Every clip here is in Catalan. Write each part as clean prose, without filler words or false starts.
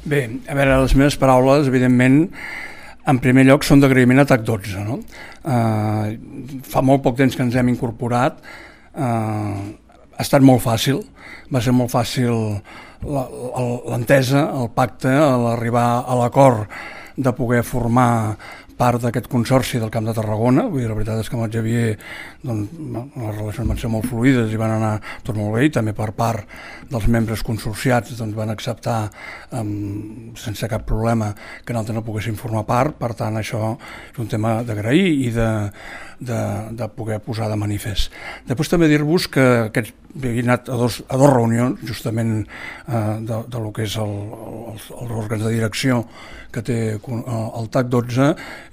Bé, a veure, les meves paraules, evidentment, en primer lloc són d'agraïment a TAC12. No? Fa molt poc temps que ens hem incorporat, ha estat molt fàcil, va ser molt fàcil l'entesa, el pacte, l'arribar a l'acord de poder formar part d'aquest consorci del Camp de Tarragona. Vull dir, la veritat és que amb el Xavier doncs, les relacions van ser molt fluides i van anar tot molt bé, i també per part dels membres consorciats doncs, van acceptar sense cap problema que nosaltres no poguéssim formar part. Per tant, això és un tema d'agrair i de poder posar de manifest. Després també dir-vos que he anat a dos reunions justament de lo que és els òrgans de direcció que té el TAC12,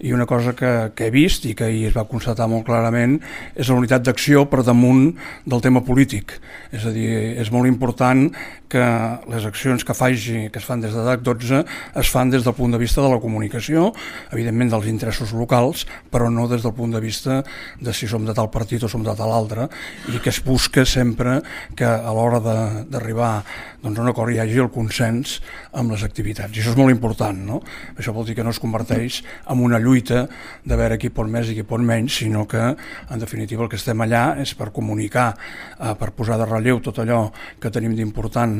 i una cosa que he vist i que ahir es va constatar molt clarament és la unitat d'acció per damunt del tema polític. És a dir, és molt important que les accions que es fan des de TAC12 es fan des del punt de vista de la comunicació, evidentment dels interessos locals, però no des del punt de vista de si som de tal partit o som de tal altre, i que es busca sempre que a l'hora d'arribar doncs, a un acord hi hagi el consens amb les activitats. I això és molt important, no? Això vol dir que no es converteix en una lluita de veure qui pot més i qui pot menys, sinó que, en definitiva, el que estem allà és per comunicar, per posar de relleu tot allò que tenim d'important,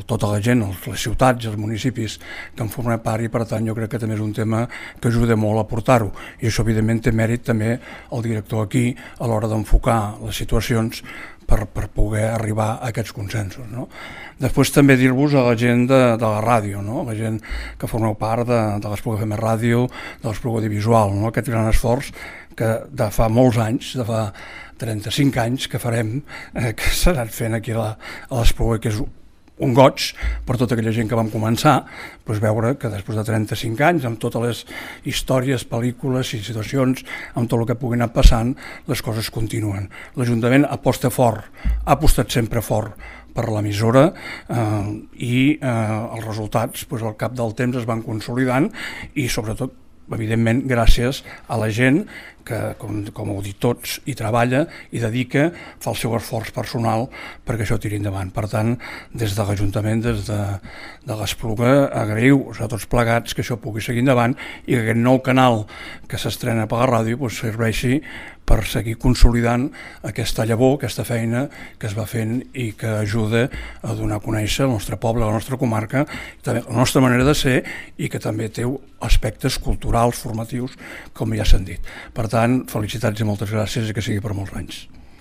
tota la gent, les ciutats i els municipis que en formem part, i per tant jo crec que també és un tema que ajuda molt a portar-ho. I això, evidentment, té mèrit també el director aquí a l'hora d'enfocar les situacions per poder arribar a aquests consensos. No? Després també dir-vos a la gent de la ràdio, no? La gent que formeu part de l'Espluga FM Ràdio, de l'Espluga Audiovisual, no? Aquest gran esforç que de fa molts anys, de fa 35 anys que farem, que s'ha anat fent aquí a l'Espluga, que és un goig per tota aquella gent que vam començar, doncs veure que després de 35 anys, amb totes les històries, pel·lícules i situacions, amb tot el que pugui anar passant, les coses continuen. L'Ajuntament aposta fort, ha apostat sempre fort per l'emissora, i els resultats al cap del temps es van consolidant, i sobretot, evidentment, gràcies a la gent que, com heu dit tots, hi treballa, hi dedica, fa el seu esforç personal perquè això tiri endavant. Per tant, des de l'Ajuntament, des de l'Espluga, agraïu a tots plegats que això pugui seguir endavant i que aquest nou canal que s'estrena per la ràdio serveixi per seguir consolidant aquesta llavor, aquesta feina que es va fent i que ajuda a donar a conèixer el nostre poble, la nostra comarca, també la nostra manera de ser, i que també té aspectes culturals, formatius, com ja s'han dit. Per tant, felicitats i moltes gràcies, i que sigui per molts anys.